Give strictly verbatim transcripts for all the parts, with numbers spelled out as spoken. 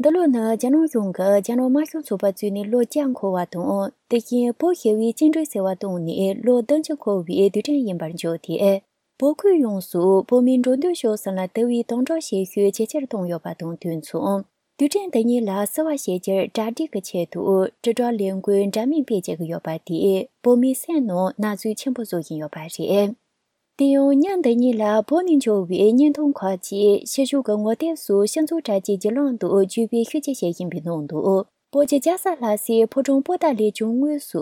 འདི་ལོ་ནི་རྒྱ་ནག་གཞུང་གིས་རྒྱ་ནག་དམར་ཤོག་ཚོགས་པ་བཙུགས་ནས་ལོ་བརྒྱ་འཁོར་བ་དང་། དེ་བཞིན་བོད་ཞི་བའི་བཅིངས་འགྲོལ་ཟེར་བ་བཏང་ནས་ལོ་བདུན་ཅུ་འཁོར་བའི་དུས་དྲན་ཡིན་པར་བརྗོད་དེ། བོད་ཁུལ་ཡོངས་སུ་བོད་མིའི་འགྲོ་འདུག་ཕྱོགས་གསུམ་ལ་དུ་བའི་དམ་དྲག་བྱེད་ཤུགས་ཇེ་ཆེར་བཏང་ཡོད་པ་དང་དུས་མཚུངས། དུས་དྲན་འདི་ཉིད་ལ་བསུ་བ་ཞེས་བྱར་གྲ་སྒྲིག་གི་ཆེད་དུ་དྲིལ་བསྒྲགས་ལས་འགུལ་འདྲ་མིན་སྤེལ་བྱེད་ཀྱི་ཡོད་པ་དེས་བོད་མིའི་སེམས་ནང་ན་ཟུག་ཆེན་པོ་བཟོ་བཞིན་ཡོད་པ་རེད། དེ་ཡང་ཉིན་འདི་ཉིད་ལ་བོད་ནས་འབྱོར་བའི་བརྙན་ཐུང་ཁག་ཅིག་ཕྱི་ཕྱོགས་ཀྱི་ངོ་དེབ་སུ་སྤྱི་ཚོགས་དྲ་རྒྱའི་བརྒྱུད་ལམ་དུ་བརྒྱུད་སྤེལ་ཤུགས་ཆེ་བྱེད་བཞིན་པའི་ནང་དུ། བོད་ཀྱི་རྒྱལ་ས་ལྷ་སའི་ཕོ་བྲང་པོ་ཏཱ་ལའི་བྱང་ངོས་སུ་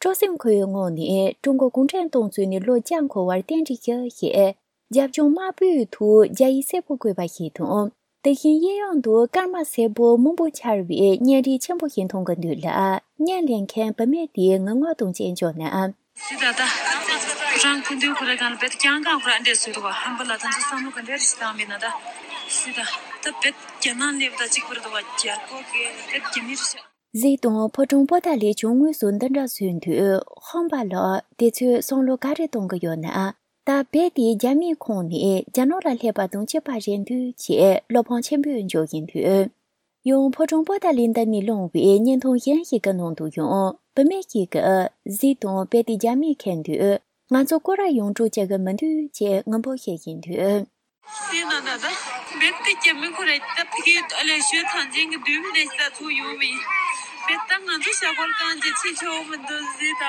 སྤྲོ་སེམས་འཁོལ་བའི་ངང་ནས་ཀྲུང་གོ་གུང་ཁྲན་ཏང་བཙུགས་ནས་ལོ་བརྒྱ་འཁོར་བར་རྟེན་འབྲེལ་ཞུ་ཞེས་རྒྱབ་ལྗོངས་དམར་པོའི་ཐོག་རྒྱ་ཡིག་སེར་པོ་བཀོད་པ་ཞིག་དང་། དེ་བཞིན་གཡས་གཡོན་དུ་སྐར་མ་སེར་པོ་མང་པོ་འཕྱར་བའི་བརྙན་རིས་ཆེན་པོ་ཞིག་མཐོང་གི་འདུག་ལ། བརྙན་ལེན་མཁན་བུད་མེད་དེས་ངུ་ངག་དང་བཅས་བརྗོད་ན། སི་ད་ད། རང་སྐུ་མདུན་ཁོ་ར་གང་ལ་བེད་ཀྱང་གང་ཁོ་ར་འདྲེ་སུ་རུ་བ་ཧམ་པ་ལ་ད་ཚོ་བསམ་བློ་ག་འདྲེ་རེ་ཞིག་བཏང་བས་ན་ད། སི་ད། ད་བེད་རྒྱ་ནག་ལེབ་ད་གཅིག་པར་དུ་བ་རྒྱལ་པོ་གི་བེད་རྒྱ་མི་རེ་ཤག་གཟིགས་དང་ཕོ་བྲང་པོ་ཏཱ་ལའི་བྱང་ངོས་སུ་འདི་འདྲ་བཟོས་འདུག་ཧམ་པ་ལགས་དེ་ཚོས་བསམ་བློ་ག་རེ་གཏོང་གི་ཡོད་ན། ད་བེད་དེ་རྒྱ་མིའི་ཁོངས་ནས་རྒྱ་ནག་ལ་སླེབས་པ་དང་གཅིག་པ་རེད་འདུག་ཅེས་བློ་ཕམ་ཆེན་པོས་བརྗོད་བཞིན་འདུག་ཡང་ཕོ་བྲང་པོ་ཏཱ་ལའི་མདུན་ནས་བླངས་པའི་བརྙན་ཐུང་གཞན་ཞིག་གི་ནང་དུ་ཡང་བུད་མེད་ཅིག་གིས་གཟིགས་དང་བེད་དེ་རྒྱ་མིས་ཁེངས་དུས་ང་ཚོ་སྐོར་ར་ཡོང་འགྲོ་བྱེད་ཀྱི་མི་འདུག་ཅེས་ངུ་འབོད་བྱེད་བཞིན་འདུག་དེ་ན་ད་ད་བེད་དེ་རྒྱ་མི་ཁོ་རེ་ད་ཕ་གི་ཨ་ལས་ཞོད་ཐང་ཆེན་གྱི་དུས་མི་རེ་ཞིག་ད་ཚུགས་ཡོང་མི་ཡིན། བེད་ད་ང་ཚོ་ཞྭ་སྒོར་རྐང་གཅིག་ཕྱིན་ཆོག་མི་འདུག་ཟེར་ད།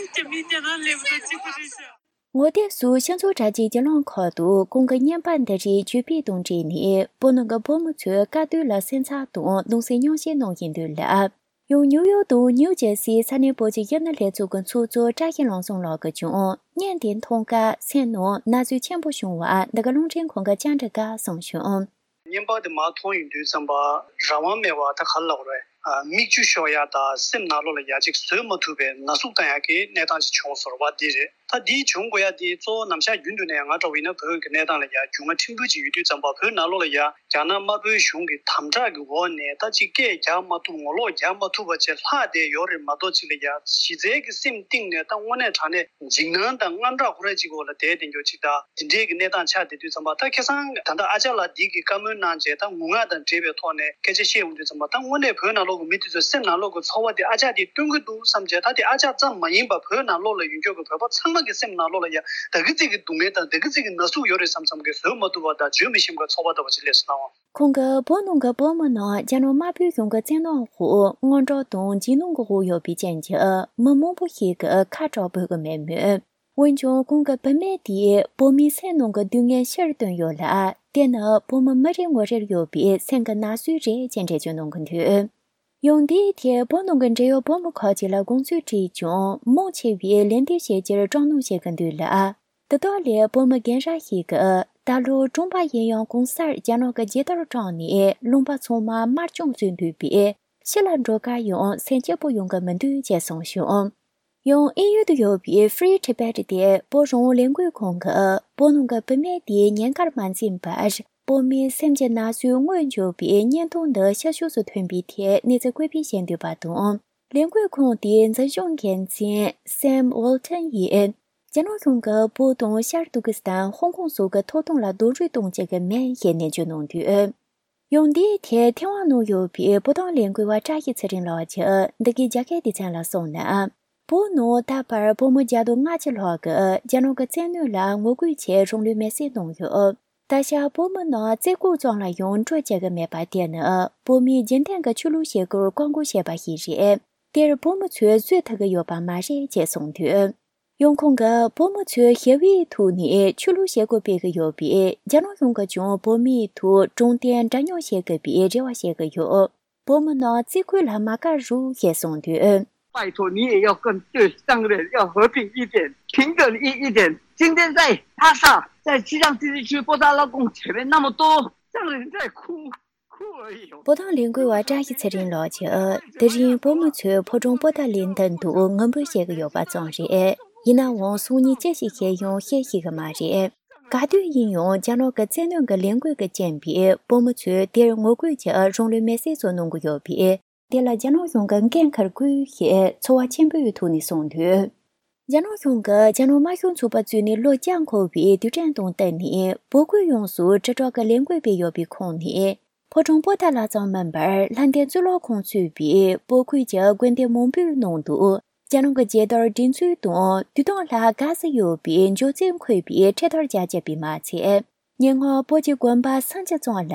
རྒྱ་མི་རྒྱ་ནག་ལེབ་ད་གཅིག་པ་རེད་ཤག་ངོ་དེབ་སུ་སྤྱི་ཚོགས་དྲ་རྒྱའི་བརྒྱུད་ལམ་ཁག་ཏུ་གོང་གི་བརྙན་པར་འདི་རིགས་བརྒྱུད་སྤེལ་དང་འབྲེལ་ནས་བོད་ནང་གི་བོད་མི་ཚོས་དཀའ་སྡུག་ལ་སེམས་འཚབ་དང་གདུང་སེམས་མྱོང་བཤད་གནང་བཞིན་འདུག་ལ། ཡང་ནིའུ་ཡོག་དང་ནིའུ་ཇར་སིའི་ས་གནས་བོད་ཀྱི་གཞོན་ནུ་ལྷན་ཚོགས་ཀྱི་ཚོགས་གཙོ་བཀྲ་ཤིས་ལྷུན་འཛོམས་ལགས་ཀྱིས་ཀྱང་བརྙན་དེ་མཐོང་སྐབས་སེམས་ནང་ན་ཟུག་ཆེན་པོ་བྱུང་བ་འདི་ག་རླུང་འཕྲིན་ཁང་གི་བཅར་འདྲི་སྐབས་གསུངས་བྱུང་། བརྙན་པར་དེ་མར་མཐོང་ཡོང་དུས་ཙམ་པ་རང་དབང་མེད་པ་ད་ག་རེ་ལབ་དགོས་རེད། ཨ། མིག་ཆུ་ཤོར་ཡ་དང་སེམས་ནང་ལོགས་ལ་ཡ་གཅིག་བཟོད་མ་ཐུབ་པའི་ན་ཟུག་བཏང་ཡ་གི་གནས་སྟངས་ཅིག་བྱུང་སོང་བ་འདི་རེད། ད་འདི་བྱུང་དགོས་ཡ་འདི་གཙོ་བོ་ནམ་ཞག་རྒྱུན་དུ་ནས་ང་འདྲ་བོ་ཡིན་ན་བོད་ཀྱི་གནས་སྟངས་ལ་ཡ་རྒྱུས་མངའ་ཕྲན་བུ་ཅིག་ཡོད་དུས་ཙམ་པ་བོད་ནང་ལོགས་ལ་ཡ་རྒྱ་ནག་དམར་པོའི་གཞུང་གི་དམ་དྲག་གི་འོག་ནས་ད་ཅིག་སྐད་རྒྱག་མ་ཐུབ་ངོ་ལོག་རྒྱག་མ་ཐུབ་པ་ཅིག་ལྷག་བསྡད་ཡོད་རེད་མ་གཏོགས་ཅིག་ལ་ཡ་གཞི་རྩའི་གི་སེམས་གཏིང་ནས་ད་དངོས་གནས་དྲང་གནས་འཇིགས་སྣང་དང་དངངས་སྐྲག་ཁོ་ར་ཅིག་འོག་ལ་བསྡད་བསྡད་འགྱོ་ཅིག་ད་འདི་འདྲའི་གི་གནས་སྟངས་ཆགས་བསྡད་དུས་ཙམ་པ་ད་ཁ་སང་ད་ལྟ་ཨ་ཅག་ལགས་འདི་གི་བཀའ་མོལ་གནང་རྗེས་ད་ངུ་ངག་དང་འབྲེལ་བའི་ཐོག་ནས་སྐད་ཆ་བཤད་ཡོང་དུས་ཙམ་པ་ད་དངོས་གནས་བོད་ནང་ལོགས་ཀྱི་མི་དེ་ཚོའི་སེམས་ནང་ལོགས་ཀྱི་ཚོར་བ་དེ་ཨ་ཅག་དེས་སྟོན་གྱི་འདུག་བསམ་བྱས་ད་དེ་ཨ་ཅག་ཙམ་མ་ཡིན་པར་བོད་ནང་ལོགས་ལ་ཡོད་མཁན་གྱི་བོད་པ་ཚང་མ་གི་སེམས་ནང་ལོགས་ལ་ཡ་ད་གི་ཚིག་གི་སྡུག་བསྔལ་དང་ད་གི་ཚིག་གི་ན་ཟུག་ཡོད་རེད་བསམ་བསམ་གི་བཟོད་མ་ཐུབ་པ་དང་བརྗོད་མི་ཤེས་པའི་ཚོར་བ་འདྲ་བ་ཅིག་སླེབས་སོང་ན་འོང་། ཁོང་གིས་བོད་ནང་གི་བོད་མི་རྣམས་རྒྱ་ནག་དམར་པོའི་གཞུང་གི་བཙན་གནོན་འོག་དངངས་སྐྲག་དང་འཇིགས་སྣང་གི་འོག་ཡོད་པའི་རྐྱེན་གྱིས་མི་མང་པོ་ཞིག་གིས་ཁ་གྲག་འབོད་ཀྱི་མེད་མོད། འོན་ཀྱང་ཁོང་གི་བུད་མེད་དེས་བོད་མིའི་སེམས་ནང་གི་སྡུག་བསྔལ་ཕྱིར་བཏོན་ཡོད་ལ། དེ་ནི་བོད་མི་མི་རེ་ངོ་རེར་ཡོད་པའི་སེམས་ཀྱི་ན་ཟུག་རེད་ཅེས་འགྲེལ་བརྗོད་གནང་གི་འདུག་ཡང་འདིའི་ཐད་བོད་ནང་གི་འབྲེལ་ཡོད་བོད་མི་ཁག་ཅིག་ལ་དགོངས་ཚུལ་དྲིས་ཀྱང་མང་ཆེ་བས་ལན་འདེབས་བྱེད་རྒྱུར་སྐྲག་སྣང་བྱེད་ཀྱི་འདུག་ལ། དེ་དག་ལས་བོད་མི་རྒན་རབས་ཤིག་གིས་ད་ལོ་གྲོང་པ་ཡིན་ཡང་གང་སར་རྒྱ་ནག་གི་རྒྱལ་དར་དྲངས་ནས་ལུང་པ་ཚང་མ་དམར་གཅོད་བཟོས་འདུག་པས་ཕྱི་ལ་འགྲོ་ག་ཡང་སེམས་སྐྱིད་པོ་ཡོང་གི་མི་འདུག་ཅེས་གསུངས་བྱུང་། ཡང་དབྱིན་ཡུལ་དུ་ཡོད་པའི་Free Tibet དེ་བོད་རང་དབང་ལས་འགུལ་ཁང་གིས་བོད་ནང་གི་བུད་མེད་དེའི་ཉེན་ཁར་མ་འཛེམས་པར་བོད་མིའི་སེམས་ཀྱི་ན་ཟུག་དངོས་བརྗོད་པའི་བརྙན་ཐུང་འདི་ཕྱི་ཕྱོགས་སུ་ཐོན་པའི་ཐད་གནས་ཚུལ་བཀོད་སྤེལ་བྱས་འདུག་པ་དང་། ལས་འགུལ་ཁང་དེའི་འཛིན་སྐྱོང་འགན་འཛིན་Sam Walton ཡིས་རྒྱ་ནག་གཞུང་གིས་བོད་དང་ཤར་ཏུར་ཀི་སི་ཐན་ཧོང་ཀོང་སོགས་ཀྱི་ཐོབ་ཐང་ལ་རྡོག་རོལ་གཏོང་བྱེད་ཀྱི་མེད་ཞེས་ནན་བརྗོད་གནང་འདུག་ཡང་འདིའི་ཐད་ཐེ་ཝན་ནང་ཡོད་པའི་བོད་དོན་ལས་འགུལ་བ་བཀྲ་ཤིས་ཚེ་རིང་ལགས་ཀྱིས་འདི་གའི་རྒྱ་སྐད་སྡེ་ཚན་ལ་གསུངས་ན། བོད་ནང་ད་བར་བོད་མི་བརྒྱ་དང་ལྔ་བཅུ་ལྷག་གིས་རྒྱ་ནག་གི་བཙན་གནོན་ལ་ངོ་རྒོལ་ཆེད་རང་ལུས་མེར་སྲེག་གནང་ཡོད། ད་ཆ་བོད་མི་རྣམས་རྩེ་ཁོག་ཙམ་ལ་ཡང་འགྲོ་བྱེད་ཀྱི་མེད་པ་དེ་ནི་བོད་མིའི་རྒྱུན་ལྡན་གྱི་ཆོས་ལུགས་བྱེད་སྒོར་བཀག་འགོག་བྱས་པ་ཞིག་རེད། དེར་བོད་མི་ཚོས་བཟོད་ཐུབ་ཀྱི་ཡོད་པ་མ་རེད་ཅེས་གསུངས་འདུག་ཡང་ཁོང་གིས་བོད་མི་ཚོས་ཞི་བའི་ཐོག་ནས་ཆོས་ལུགས་བྱེད་སྒོ་སྤེལ་གྱི་ཡོད་པས་རྒྱ་ནག་གཞུང་གིས་ཀྱང་བོད་མིའི་ཐོག་དྲང་བདེན་འདྲ་མཉམ་བྱེད་དགོས་པའི་རེ་བ་བྱེད་ཀྱི་ཡོད། བོད་མི་རྣམས་རྩེ་ཁོག་ལ་མ་བཀག་རོགས་ཞེས་གསུངས་དུས། 拜托你也要跟对上人要和平一点，平等一一点。今天在拉萨，在西藏自治区布达拉宫前面那么多藏人在哭，哭而已哦。 བོད་དོན་ལས་འགུལ་བ་བཀྲ་ཤིས་ཚེ་རིང་ལགས་ཀྱིས་དེ་རིང་བོད་མི་ཚོས་ཕོ་བྲང་པོ་ཏཱ་ལའི་མདུན་དུ་ངུ་འབོད་བྱེད་ཀྱི་ཡོད་པ་ཙམ་རེད། ཡིན་ནའང་སང་ཉིན་ཅི་ཞིག་བྱེད་ཡོང་ཤེས་ཤེས་ཀྱི་མ་རེད། ག་དུས་ཡིན་ཡང་རྒྱ་ནག་གི་བཙན་གནོན་གྱི་ལས་འགུལ་གྱི་རྐྱེན་པས་བོད་མི་ཚོས་དེར་ངོ་རྒོལ་གྱིས་རང་ལུས་མེར་སྲེག་སོགས་གནང་གི་ཡོད་པས། དེ་ལ་རྒྱ་ནག་གཞུང་གིས་འགན་འཁུར་དགོས་ཞེས་ཚོར་བ་ཆེན་པོའི་ཐོག་ནས་གསུངས་འདུག་རྒྱ་ནག་གཞུང་གིས་རྒྱ་ནག་དམར་ཤོག་ཚོགས་པ་བཙུགས་ནས་ལོ་བརྒྱ་འཁོར་བའི་དུས་དྲན་དང་བསྟུན་ནས་བོད་ཁུལ་ཡོངས་སུ་དྲིལ་བསྒྲགས་ཀྱི་ལས་འགུལ་སྤེལ་ཡོད་པའི་ཁོངས་ནས། ཕོ་བྲང་པོ་ཏཱ་ལ་ཙམ་མིན་པར་ལྷ་ལྡན་གཙུག་ལག་ཁང་གཙོས་པའི་བོད་ཁུལ་གྱི་དགོན་སྡེ་མང་པོའི་ནང་དུ་རྒྱ་ནག་གི་རྒྱལ་དར་སྒྲེང་འཛུགས་དང་དུས་ཐུང་ལྷ་དགའ་བསུ་ཡོད་པའི་འཇོ་རྩེས་འཁོད་པའི་འཕྲེད་དར་རྒྱ་བསྐྱེད་པས་མ་ཚད། ཉེ་སྔོན་བོད་ཀྱི་དགོན་པ་སུམ་ཅུ་ཙམ་ལ་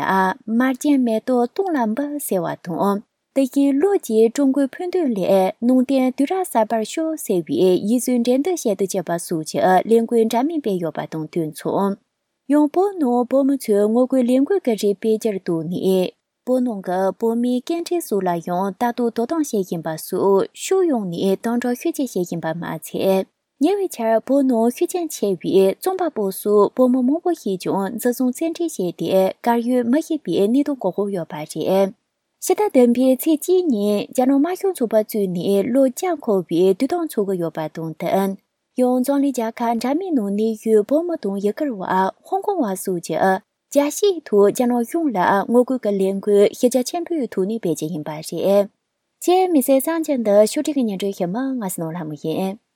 མར་རྒྱན་མེ་ཏོག་སྟོང་ལ་འབུལ་ཟེར་བ་དང་། དེ་བཞིན་ལོ་གཅིག་ཀྲུང་གོའི་ཕུགས་འདུན་ལས་ནང་བསྟན་དུས་རབས་གསར་པར་ཤོག་ཟེར་བའི་ཡིག་གཟུགས་འགྲན་བསྡུར་བྱེད་དུ་བཅུག་པ་སོགས་ཀྱི་ལས་འགུལ་འདྲ་མིན་སྤེལ་ཡོད་པ་དང་དུས་མཚུངས། ཡང་བོད་ནང་བོད་མི་ཚོས་ངོ་རྒོལ་ལས་འགུལ་གྱི་རིགས་སྤེལ་རྒྱུར་གཏུགས་ནས། བོད་ནང་གི་བོད་མིའི་སྐད་འཕྲིན་སོགས་ལ་ཡང་ལྟ་རྟོག་དོ་དམ་བྱེད་བཞིན་པ་སོགས་ཕྱོགས་ཡོངས་ནས་དམ་དྲག་ཤུགས་ཆེ་བྱེད་བཞིན་པ་མ་ཚད། ཉེ་བའི་ཆར་བོད་ནང་ཤུགས་རྐྱེན་ཆེ་བའི་རྩོམ་པ་པོ་སོགས་བོད་མི་མང་པོ་ཞིག་ཀྱང་འཛིན་བཟུང་བཙན་ཁྲིད་བྱས་ཏེ་གར་ཡོད་མི་ཤེས་པའི་གནས་སྟངས་གོ་སྐབས་ཡོད་པ་རེད། ཕྱི་ཟླ་བདུན་པའི་ཚེས་གཅིག་ཉིན་རྒྱ་ནག་དམར་ཤོག་ཚོགས་པ་བཙུགས་ནས་ལོ་བརྒྱ་འཁོར་བའི་དུས་སྟོན་འཚོགས་ཀྱི་ཡོད་པ་དང་བསྟུན། ཡང་འཛམ་གླིང་རྒྱལ་ཁབ་འདྲ་མིན་ནང་གནས་ཡུལ་བོད་མི་དང་ཡུ་གུར་བ་ཧོང་ཀོང་བ་སོགས་ཀྱིས་རྒྱལ་སྤྱིའི་ཐོག་རྒྱ་ནག་གཞུང་ལ་ངོ་རྒོལ་གྱི་ལས་འགུལ་གཞི་རྒྱ་ཆེན་པོའི་ཐོག་ནས་སྤེལ་གྱི་ཡིན་པ་རེད། ཅེས་མི་སེར་གསར་འགྱུར་འདི་ཕྱོགས་སྒྲིག་གི་སྙན་སྒྲོན་ཞུ་མི་ང་སྣོ་ལྷ་མོ་ཡིན།